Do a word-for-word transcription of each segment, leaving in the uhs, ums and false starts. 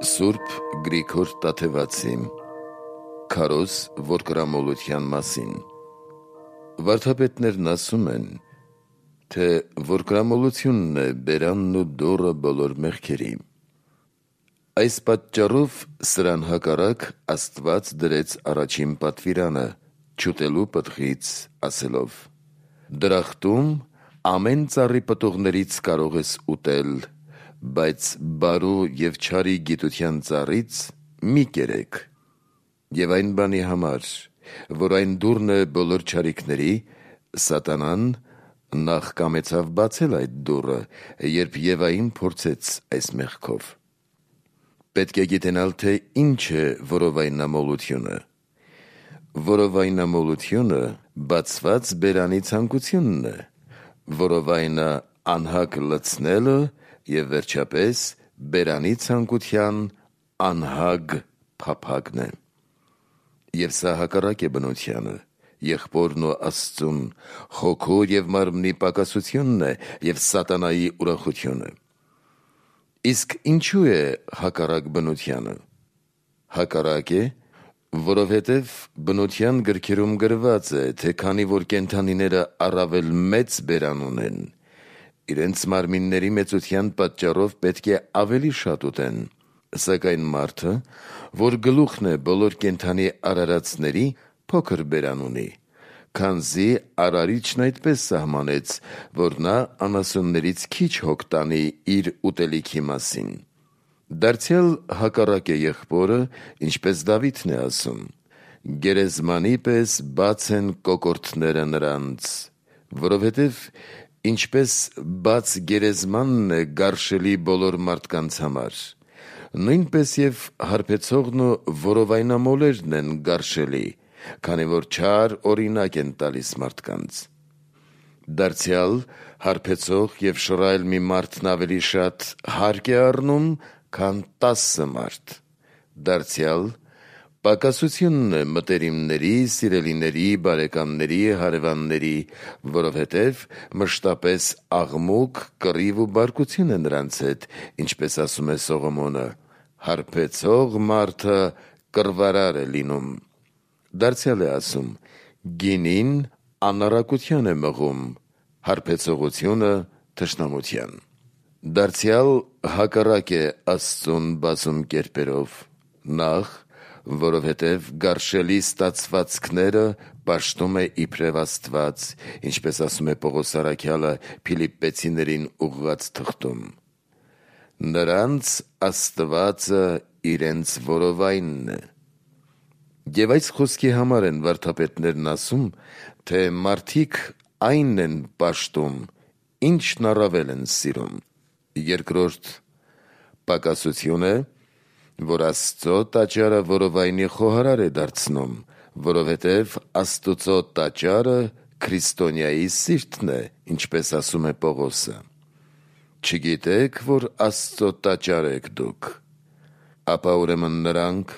Սուրբ Գրիգոր Տաթևացի Քարոզ որդկրամոլության մասին Վարդապետներն ասում են, թե որդկրամոլությունն է բերանն ու դոռը բոլոր մեղքերի։ Այս պատճառով սրան հակառակ Աստված դրեց առաջին պատվիրանը չուտելու պտղից, ասելով. Դրախտում ամեն ծառի պտուղներից կարող ես ուտել, բայց բարու և չարի գիտության ծառից մի կերեք։ Եվ այն բանի համար, որ այն դուռն է բոլոր չարիքների, Սատանան նախ կամեցավ բացել այդ դուռը, երբ Եվային փորձեց այս մեղքով։ Պետք է գիտենալ, թե ինչ է որովայնամոլությունը։ Որովայնամոլությունը բացված բերանի ցանկությունն է, որովայնը անհակ լցնելը և վերջապես բերանի ցանկության անհագ փափագն է։ Եվ սա հակառակ է բնությանը, եղբորն ու Աստծուն, հոգու և մարմնի պակասությունն է և սատանայի ուրախությունը։ Իսկ ինչու է հակառակ բնությանը։ Հակառակ է, որովհետև բնության գրքերում գրված է, թե քանի որ կենդանիները առավել մեծ բերան ունեն, իրենց մարմինների մեծության պատճառով պետք է ավելի շատ ուտեն, սակայն մարդը, որ գլուխն է բոլոր կենդանի արարածների, փոքր բերան ունի, քանզի Արարիչն այդպես սահմանեց, որ նա անասուններից քիչ հոգ տանի իր ուտելիքի մասին։ Դարձյալ հակառակ է եղբորը, ինչպես Դավիթն է ասում. գերեզմանի պես բաց են կոկորդները նրանց, որովհետև ինչպես բաց գերեզմանն է գարշելի բոլոր մարդկանց համար, նույնպես և հարբեցողն ու որովայնամոլերն են գարշելի, քանի որ չար օրինակ են տալիս մարդկանց։ Դարձյալ հարբեցող և շռայլ մի մարդն ավելի շատ հարկ է առնում, քան տասը մարդ։ Դարձյալ պակասությունն է մտերիմների, սիրելիների, բարեկամների, հարևանների, որովհետև մշտապես աղմուկ, կռիվ ու բարկություն է նրանց հետ, ինչպես ասում է Սողոմոնը. հարբեցող մարդը կռվարար է լինում։ Դարձյալ է ասում. գինին անառակության է մղում, հարբեցողությունը թշնամության։ Դարձյալ հակառակ է Աստծուն բազում կերպերով. Նախ, որովհետև գարշելի ստացվածքները պաշտում է իբրև Աստված, ինչպես ասում է Պողոս առաքյալը Փիլիպպեցիներին ուղղված թղթում. նրանց Աստվածը իրենց որովայնն է։ Եվ այս խոսքի համար են վարդապետներն ասում, թե մարդիկ այն են պաշտում, ինչն առավել են սիրում։ Երկրորդ պակասություն է, որ Աստծո տաճարը որովայնի խոհարար է դարձնում, որովհետև Աստուծո տաճարը քրիստոնյայի սիրտն է, ինչպես ասում է Պողոսը։ Չգիտեք, որ Աստծո տաճար եք դուք։ Ապա ուրեմն նրանք,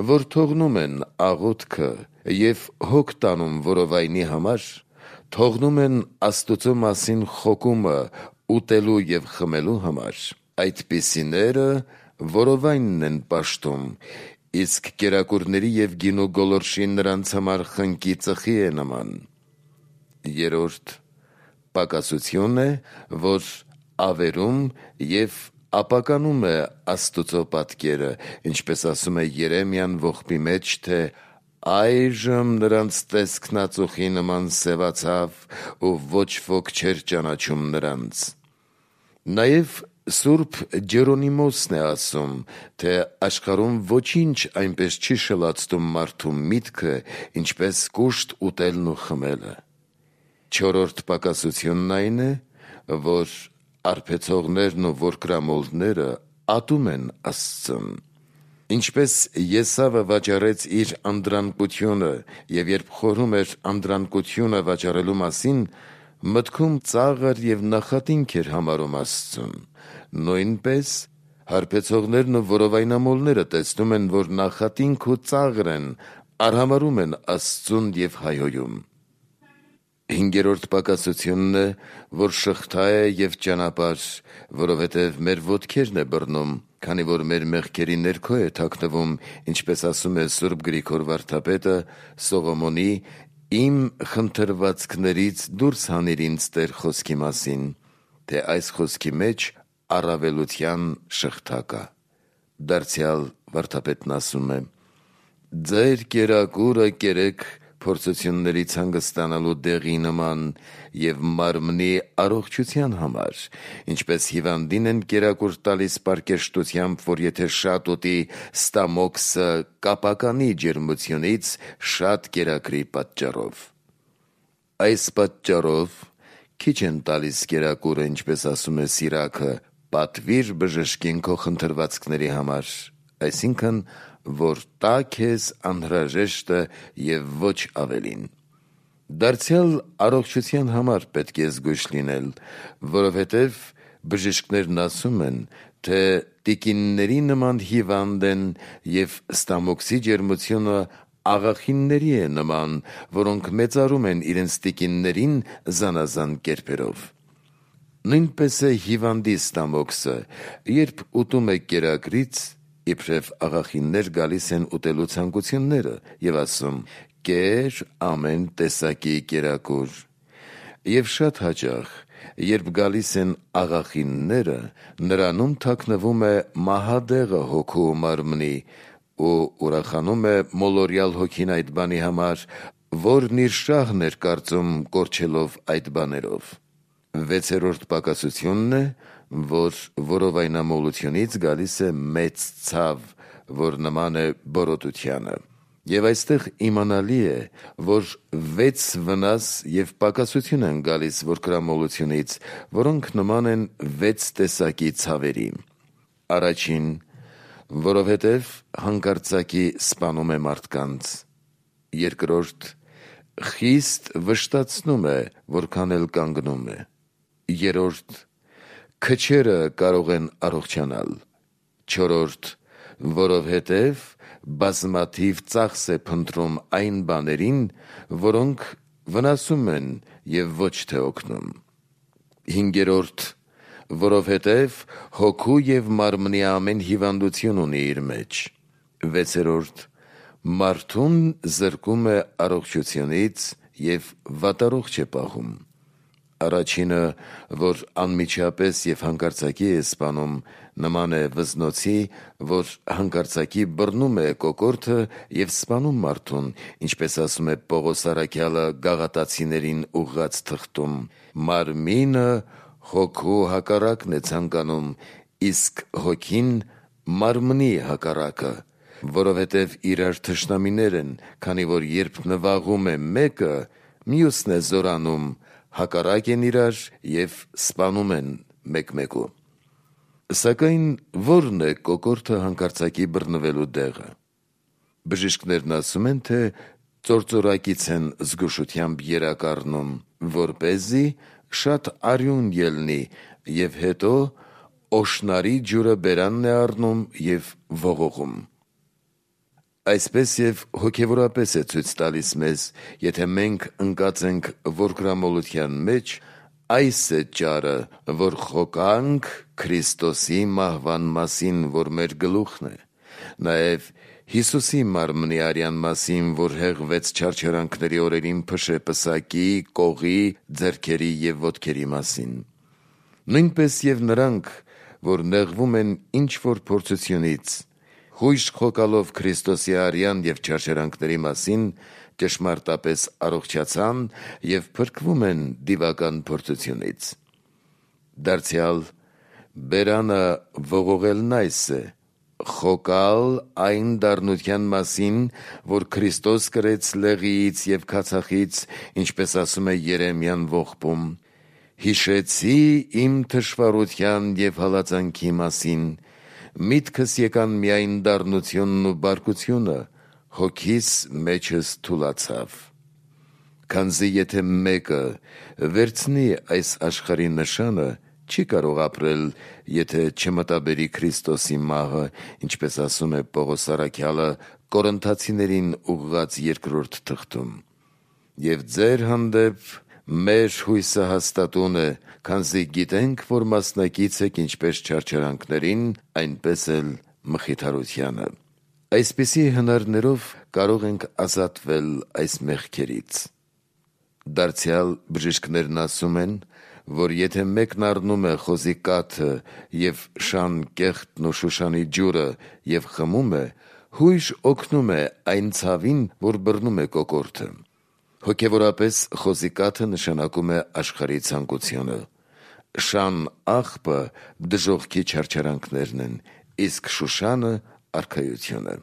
որ թողնում են աղոթքը և հոգ տանում որովայնի համար, թողնում են Աստուծո մասին խոկումը ուտելու և խմելու համար, այդպիսիները որովայնն են պաշտում, իսկ կերակուրների և գինու գոլորշի նրանց համար խնկի ծխի է նման։ Երրորդ պակասություն է, որ ավերում և ապականում է Աստուծո պատկերը, ինչպես ասում է Երեմիան ողբի մեջ, թե այժմ նրանց տեսքն ածուխի նման սևացավ ու ոչ ոք չէր ճանաչում նրանց։ Նաև Սուրբ Ջերոնիմոսն է ասում, թե աշխարհում ոչինչ այնպես չի շլացնում մարդու միտքը, ինչպես կուշտ ուտելն ու խմելը։ Չորրորդ պակասությունն այն է, որ արբեցողներն ու որդկրամոլները ատում են Աստծուն։ Ինչպես Եսավը վաճառեց իր անդրանկությունը և երբ խորհում էր անդրանկությունը վաճառելու մասին, մտքում ծաղր և նախատինք էր համարում Աստծուն, նույնպես հարբեցողներն ու որովայնամոլները տեսնում են, որ նախատինք ու ծաղր են, արհամարհում են Աստծուն և հայհոյում։ Հինգերորդ պակասությունն է, որ շղթա է և ճանապարհ, որովհետև մեր ոտքերն է բռնում քանի որ մեր մեղքերի ներքո է թաքնվում, ինչպես ասում է Սուրբ Գրիգոր վարդապետը, Սողոմոնի «Իմ խնդրվածքներից դուրս հանիր ինձ Տեր» խոսքի մասին, թե այս խոսքի մեջ առավելության շղթա կա։ Դարձյալ վարդապետն ասում է. «Ձեր կերակուրը կերեք փորձություններից հանգստանալու դեղի նման և մարմնի առողջության համար, ինչպես հիվանդին են կերակուր տալիս պարկեշտությամբ, որ եթե շատ ուտի, ստամոքսը կապականի ջերմությունից շատ կերակրի պատճառով։ Այս պատճառով քիչ են տալիս կերակուրը, ինչպես ասում է Սիրաքը, պատվիր բժշկին քո խնդրվածքների համար, այսինքն, որ տա քեզ անհրաժեշտը և ոչ ավելին։ Դարձյալ առողջության համար պետք է զգույշ լինել, որովհետև բժիշկներն ասում են, թե տիկինների նման հիվանդ են և ստամոքսի ջերմությունը աղախինների է նման, որոնք մեծարում են իրենց տիկիններին զանազան կերպերով։ Նույնպես է հիվանդի ստամոքսը, երբ ուտում է կերակրից, իբրև աղախիններ գալիս են ուտելու ցանկությունները և ասում. «Կեր ամեն տեսակի կերակուր»։ Եվ շատ հաճախ, երբ գալիս են աղախինները, նրանում թաքնվում է մահադեղը հոգու ու մարմնի ու ուրախանում է մոլորյալ հոգին այդ բանի համար, որն իր շահն էր կարծում կորչելով այդ բաներով։ Վեցերորդ պակասությունն է, որ որովայնամոլությունից գալիս է մեծ ցավ, որ նման է բորոտությանը։ Եվ այստեղ իմանալի է, որ վեց վնաս և պակասություն են գալիս որկրամոլությունից, որոնք նման են վեց տեսակի ցավերի։ Առաջին, որովհետև հանկարծակի սպանում է մարդկանց։ Երկրորդ, խիստ վշտացնում է, որքան էլ կանգնում է։ Երրորդ, քչերը կարող են առողջանալ։ Չորրորդ, որովհետև բազմաթիվ ծախս է փնտրում այն բաներին, որոնք վնասում են և ոչ թե օգնում։ Հինգերորդ, որովհետև հոգու և մարմնի ամեն հիվանդություն ունի իր մեջ։ Վեցերորդ, մարդուն զրկում է առողջությունից և վատառողջ է պահում։ Առաջինը, որ անմիջապես և հանկարծակի է սպանում, նման է վզնոցի, որ հանկարծակի բռնում է կոկորդը և սպանում մարդուն, ինչպես ասում է Պողոս առաքյալը Գաղատացիներին ուղղած թղթում. «Մարմինը հոգու հակառակն է ցանկանում, իսկ հոգին մարմնի հակառակը, որովհետև իրար թշնամիներ են, քանի որ երբ նվաղում է մեկը, մյուսն է զորանում, հակառակ են իրար և սպանում են մեկ-մեկու»։ Սակայն ո՞րն է կոկորդը հանկարծակի բռնվելու դեղը։ Բժիշկներն ասում են, թե ծործորակից են զգուշությամբ երակ առնում, որպեսզի շատ արյուն ելնի, և հետո օշնարի ջուրը բերանն է առնում և ողողում։ Այսպես և հոգևորապես է ցույց տալիս մեզ, եթե մենք ընկած ենք որկրամոլության մեջ, այս է ճարը, որ խոկանք Քրիստոսի մահվան մասին, որ մեր գլուխն է, նաև Հիսուսի մարմնի արյան մասին, որ հեղվեց չարչարանքների օրերին փշե պսակի, կողի, ձեռքերի և ոտքերի մասին։ Նույնպես և նրանք, որ նեղվում են ինչ-որ փորձությունից, հույժ խոկալով Քրիստոսի արյան և չարչարանքների մասին, ճշմարտապես առողջացան և փրկվում են դիվական փորձությունից։ Դարձյալ բերանը ողողելն այս է. խոկալ այն դառնության մասին, որ Քրիստոս կրեց լեղիից և քացախից, ինչպես ասում է Երեմիան ողբում. «Հիշեցի իմ թշվառության և հալածանքի մասին, միտքս եկան միայն դառնությունն ու բարկությունը, հոգիս մեջս թուլացավ»։ Քանզի եթե մեկը վերցնի այս աշխարհի նշանը, չի կարող ապրել, եթե չմտաբերի Քրիստոսի մահը, ինչպես ասում է Պողոս առաքյալը Կորինթացիներին ուղղած երկրորդ թղթում. «Եվ ձեր հանդեպ մեր հույսը հաստատուն է, քանզի գիտենք, որ մասնակից եք ինչպես չարչարանքներին, այնպես էլ մխիթարությանը։ Այսպիսի հնարներով կարող ենք ազատվել այս մեղքերից։ Դարձյալ բժիշկներն ասում են, որ եթե մեկն առնում է խոզի կաթը և շան կեղտն ու շուշանի ջուրը և խմում է, հույժ օգնում է այն ցավին, որ բռնում է կոկորդը։ Հոգևորապես խոզի կաթը նշանակում է աշխարհի ցանկությունը։ Շան աղբը դժոխքի չարչարանքներն են, իսկ շուշանը արքայությունը։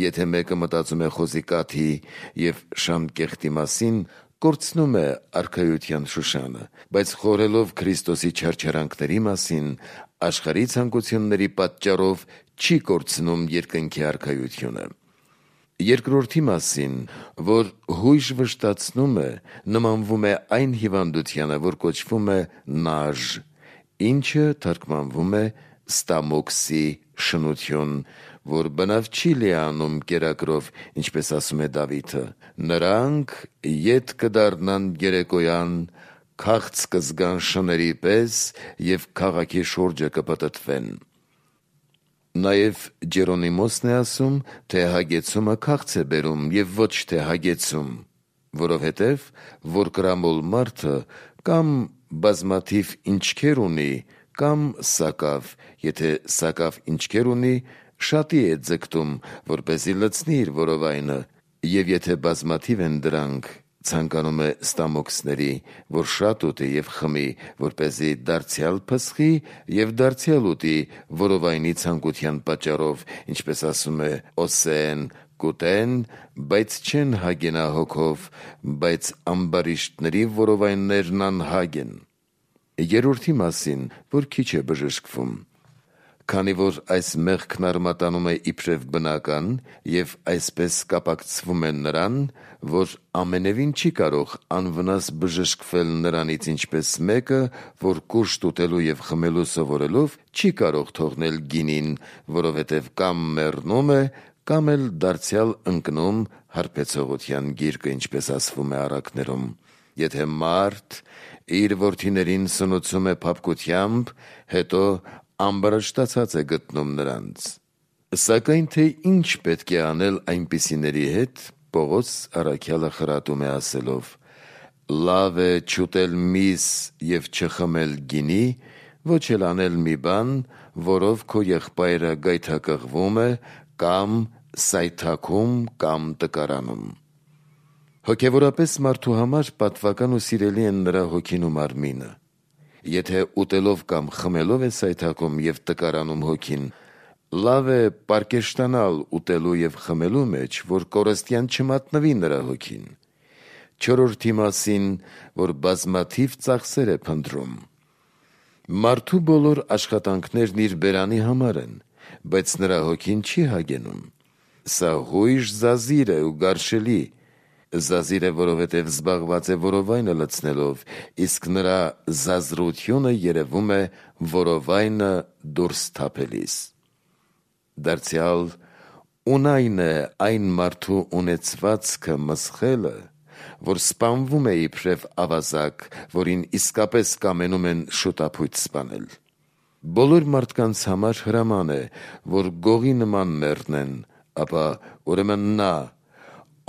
Եթե մեկը մտածում է խոզի կաթի և շան կեղտի մասին, կորցնում է արքայության շուշանը, բայց խորհելով Քրիստոսի չարչարանքների մասին, աշխարհի ցանկությունների պատճառով չի կորցնում երկնքի արքայությունը։ Երկրորդի մասին, որ հույժ վշտացնում է, նմանվում է այն հիվանդությանը, որ կոչվում է նաժ, ինչը թարգմանվում է ստամոքսի շնություն, որ բնավ չի լիանում կերակրով, ինչպես ասում է Դավիթը. նրանք ետ կդառնան երեկոյան, քաղց կզգան շների պես և քաղաքի շուրջը կպտտվեն։ Նաև Ջերոնիմոսն է ասում, թե հագեցումը քաղց է բերում և ոչ թե հագեցում, որովհետև որ կրամոլ մարդը կամ բազմաթիվ ինչքեր ունի, կամ սակավ, եթե սակավ ինչքեր ունի, շատի է ձգտում, որպեսզի լցնի իր որովայնը, և եթե բազմաթիվ են դրանք, ցանկանում է ստամոքսների, որ շատ ուտի և խմի, որպեսզի դարձյալ փսխի և դարձյալ ուտի որովայնի ցանկության պատճառով, ինչպես ասում է Օսեեն, կուտեն, բայց չեն հագենա հոգով, բայց ամբարիշտների որովայններն անհագ են։ Երրորդի մասին, որ քիչ է բժշկվում։ Քանի որ այս մեղքն արմատանում է իբրև բնական և այսպես կապակցվում է նրան, որ ամենևին չի կարող անվնաս բժշկվել նրանից, ինչպես մեկը, որ կուշտ ուտելու և խմելու սովորելով չի կարող թողնել գինին, որովհետև կամ մեռնում է, կամ էլ դարձյալ ընկնում հարբեցողության գիրկը, ինչպես ասվում է Առակներում։ Եթե մարդ իր որդիներին սնուցում է փափկությամբ, հետո ամբարշտացած է գտնում նրանց։ Սակայն թե ինչ պետք է անել այնպիսիների հետ, Պողոս առաքյալը խրատում է ասելով. լավ է չուտել միս և չխմել գինի, ոչ էլ անել մի բան, որով քո եղբայրը գայթակղվում է, կամ սայթաքում կամ տկարանում։ Հոգևորապես մարդու համար պատվական ու սիրելի են նրա հոգին ու մարմինը։ Եթե ուտելով կամ խմելով է սայթաքում և տկարանում հոգին, լավ է պարկեշտանալ ուտելու և խմելու մեջ, որ կորստյան չմատնվի նրա հոգին։ Չորրորդի մասին, որ բազմաթիվ ծախսեր է փնտրում։ Մարդու բոլոր աշխատանքներն իր բերանի համար են, բայց նրա հոգին չի հագենում։ Սա հույժ զազիր է ու գարշելի։ Զազիր է, որովհետև զբաղված է որովայնը լցնելով, իսկ նրա զազրությունը երևում է որովայնը դուրս թափելիս։ Դարձյալ ունայն է այն մարդու ունեցվածքը մսխելը, որ սպանվում է իբրև ավազակ, որին իսկապես կամենում են շուտափույթ սպանել։ Բոլոր մարդկանց համար հրաման է, որ գողի նման մեռնեն, ապա ուրեմն նա,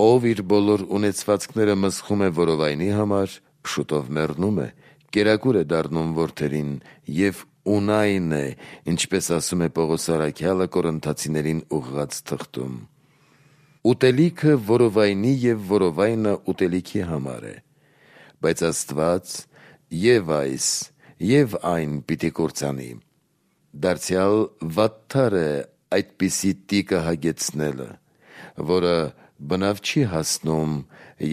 ով իր բոլոր ունեցվածքները մսխում է որովայնի համար, շուտով մեռնում է, կերակուր է դառնում որդերին և ունայն է, ինչպես ասում է Պողոս առաքյալը Կորինթացիներին ուղղած թղթում։ Ուտելիքը որովայնի և որովայնը ուտելիքի համար է, բայց Աստված և այս, և այն պիտի կործանի։ Դարձյալ վատթար է այդպիսի տիկը հագեցնելը, որը բնավ չի հասնում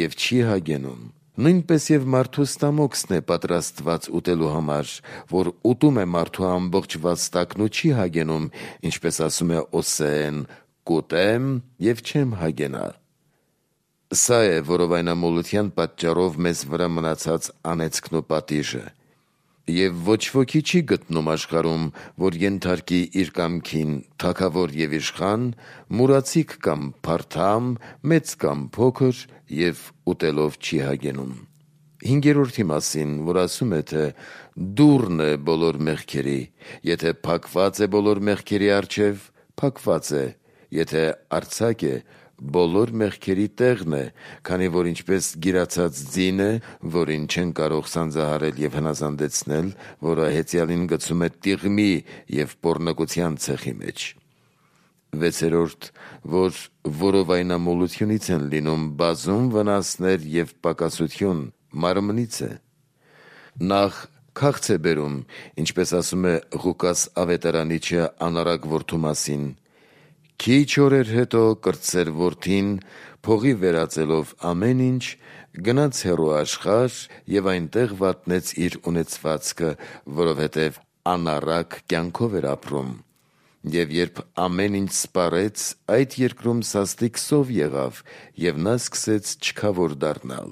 և չի հագենում։ Նույնպես և մարդու ստամոքսն է պատրաստված ուտելու համար, որ ուտում է մարդու ամբողջ վաստակն ու չի հագենում, ինչպես ասում է Օսեեն. կուտեմ և չեմ հագենա։ Սա է որովայնամոլության պատճառով մեզ վրա մնացած անեծքն ու պատիժը։ Եվ ոչ ոքի չի գտնում աշխարհում, որ ենթարկի իր կամքին թագավոր և իշխան, մուրացիկ կամ փարթամ, մեծ կամ փոքր, և ուտելով չի հագենում։ հինգերորդի մասին, որ ասում է, թե դուռն է բոլոր մեղքերի, եթե փակված է բոլոր մեղքերի առջև, փակված է, եթե արձակ է, բոլոր մեղքերի տեղն է, քանի որ ինչպես գիրացած ձին է, որին չեն կարող սանձահարել եւ հնազանդեցնել, որը հեծյալին գցում է տիղմի եւ պոռնկության ցեխի մեջ։ Վեցերորդ, որ որովայնամոլությունից են լինում բազում վնասներ եւ պակասություն, մարմնից է։ Նախ քաղց է բերում, ինչպես ասում է Ղուկաս ավետարանիչը անառակ որդու մասին. «Քիչ օրեր հետո կրտսեր որդին, փողի վերածելով ամեն ինչ, գնաց հեռու աշխարհ եւ այնտեղ վատնեց իր ունեցվածքը, որովհետեւ անառակ կյանքով էր ապրում։ Եվ երբ ամեն ինչ սպառեց, այդ երկրում սաստիկ սով եղավ, եւ նա սկսեց չքավոր դառնալ։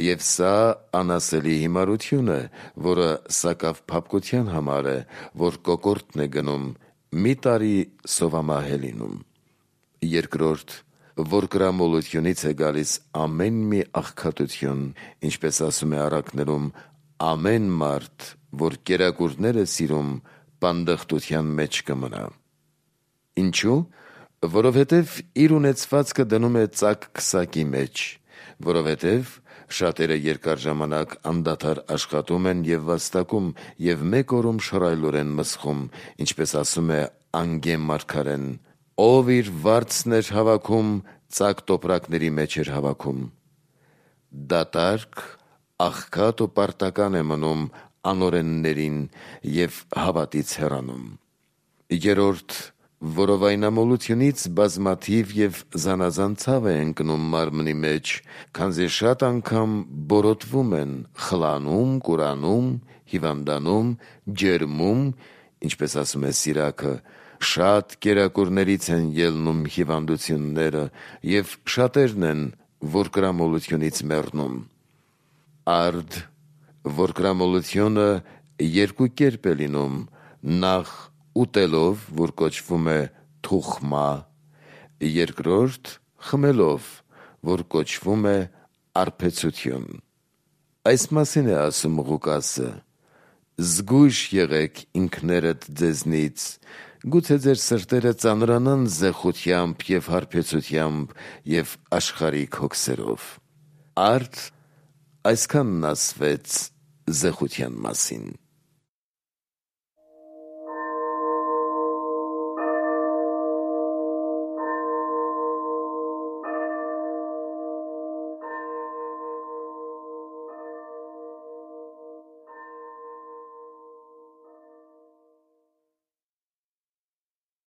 Եվ սա անասելի հիմարություն է, որը սակավ փափկության համար է, որ կոկորդն է գնում, մի տարի սովամահ է լինում։ Երկրորդ, որ կրամոլությունից է գալիս ամեն մի աղքատություն, ինչպես ասում է առակներում, ամեն մարդ, որ կերակուրներ է սիրում, պանդխտության մեջ կմնա։ Ինչու՞, որովհետև իր ունեցվածքը դնում է ծակ քսակի մեջ, որովհետև շատերը երկար ժամանակ անդադար աշխատում են եւ վաստակում եւ մեկ օրում շռայլորեն մսխում, ինչպես ասում է Անգե մարգարեն. ով իր վարձն էր հավաքում, ծակ տոպրակների մեջ էր հավաքում։ Դատարկ, աղքատ ու պարտական է մնում անօրեններին եւ հավատից հեռանում։ Երորդ, որովայնամոլությունից բազմաթիվ եւ զանազան ցավ է ընկնում մարմնի մեջ, քանզի շատ անգամ բորոտվում են, խլանում, կուրանում, հիվանդանում, ջերմում, ինչպես ասում է Սիրակը, շատ կերակուրներից են ելնում հիվանդությունները եւ շատերն են, որ կրամոլությունից մեռնում։ Արդ, որ կրամոլությունը երկու կերպ է լինում, նախ ուտելով, որ կոչվում է թուխմա, երկրորդ խմելով, որ կոչվում է արբեցություն։ Այս մասին է ասում Ղուկասը. «Զգույշ եղեք ինքներդ ձեզնից, գուցե ձեր սրտերը ծանրանան զեղությամբ եւ հարբեցությամբ եւ աշխարհիկ հոգսերով»։ Արդ այսքանն ասվեց զեղության մասին։